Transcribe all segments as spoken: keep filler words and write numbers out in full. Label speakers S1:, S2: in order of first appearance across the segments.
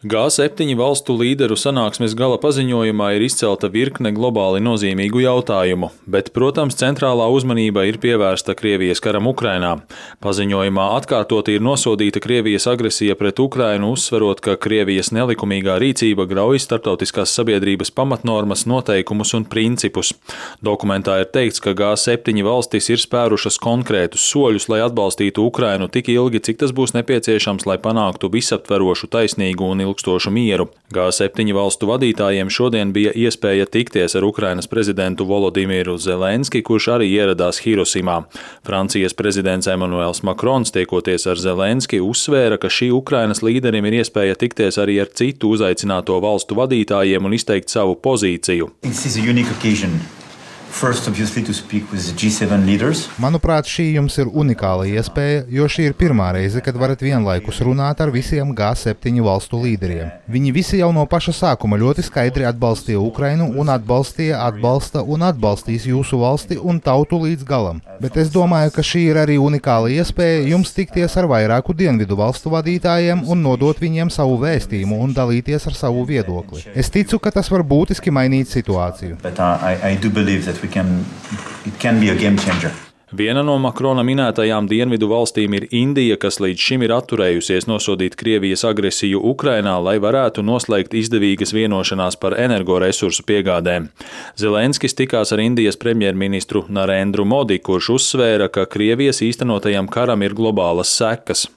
S1: G septiņi valstu līderu sanāksmes gala paziņojumā ir izcelta virkne globāli nozīmīgu jautājumu, bet, protams, centrālā uzmanība ir pievērsta Krievijas karam Ukrainā. Paziņojumā atkārtoti ir nosodīta Krievijas agresija pret Ukrainu, uzsverot, ka Krievijas nelikumīgā rīcība grauj starptautiskās sabiedrības pamatnormas, noteikumus un principus. Dokumentā ir teikts, ka G septiņi valstis ir spērušas konkrētus soļus, lai atbalstītu Ukrainu tik ilgi, cik tas būs nepieciešams, lai panāktu visaptverošu, taisnīgu un ilgstošu mieru. G septiņi valstu vadītājiem šodien bija iespēja tikties ar Ukrainas prezidentu Volodimiru Zelenski, kurš arī ieradās Hirosimā. Francijas prezidents Emmanuels Macrons, tiekoties ar Zelenski, uzsvēra, ka šī Ukrainas līderim ir iespēja tikties arī ar citu uzaicināto valstu vadītājiem un izteikt savu pozīciju.
S2: First, obviously, to speak with the G seven leaders.
S3: Manuprāt, šī jums ir unikāla iespēja, jo šī ir pirmā reize, kad varat vienlaikus runāt ar visiem G septiņi valstu līderiem. Viņi visi jau no paša sākuma ļoti skaidri atbalstīja Ukrainu un atbalstīja, atbalsta un atbalstīs jūsu valsti un tautu līdz galam. Bet es domāju, ka šī ir arī unikāla iespēja jums tikties ar vairāku dienvidu valstu vadītājiem un nodot viņiem savu vēstījumu un dalīties ar savu viedokli. Es ticu, ka tas var būtiski mainīt situāciju.
S2: But uh, I, I do believe that we can, it can be a game changer.
S1: Viena no Makrona minētajām dienvidu valstīm ir Indija, kas līdz šim ir atturējusies nosodīt Krievijas agresiju Ukrainā, lai varētu noslēgt izdevīgas vienošanās par energoresursu piegādēm. Zelenskis tikās ar Indijas premjerministru Narendru Modi, kurš uzsvēra, ka Krievijas īstenotajam karam ir globālas sekas.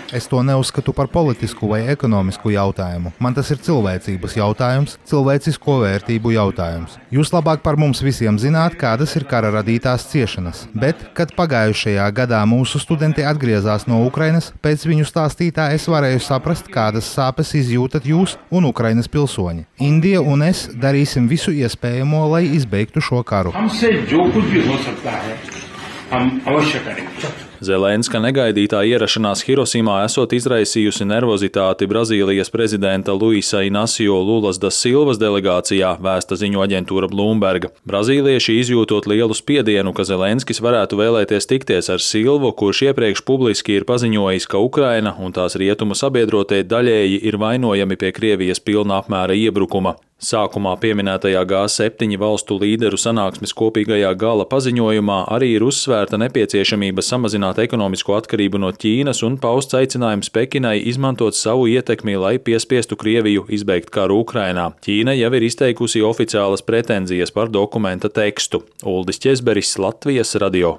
S3: Es to neuzskatu par politisku vai ekonomisku jautājumu. Man tas ir cilvēcības jautājums, cilvēcisko vērtību jautājums. Jūs labāk par mums visiem zināt, kādas ir kara radītās ciešanas. Bet, kad pagājušajā gadā mūsu studenti atgriezās no Ukrainas, pēc viņu stāstītā es varēju saprast, kādas sāpes izjūtat jūs un Ukrainas pilsoņi. Indija un es darīsim visu iespējamo, lai izbeigtu šo karu.
S1: Zelenska negaidītā ierašanās Hirosimā esot izraisījusi nervozitāti Brazīlijas prezidenta Luisa Inacio Lulas da Silvas delegācijā, vēsta ziņu aģentūra Bloomberg. Brazīlieši izjūtot lielu spiedienu, ka Zelenskis varētu vēlēties tikties ar Silvu, kurš iepriekš publiski ir paziņojis, ka Ukraina un tās rietumu sabiedrotie daļēji ir vainojami pie Krievijas pilna apmēra iebrukuma. Sākumā pieminētajā G septiņi valstu līderu sanāksmes kopīgajā gala paziņojumā arī ir uzsvērta nepieciešamība samazināt ekonomisko atkarību no Ķīnas un pausts aicinājums Pekinai izmantot savu ietekmi, lai piespiestu Krieviju izbeigt karu Ukrainā. Ķīna jau ir izteikusi oficiālas pretenzijas par dokumenta tekstu. Uldis Ķezberis, Latvijas radio.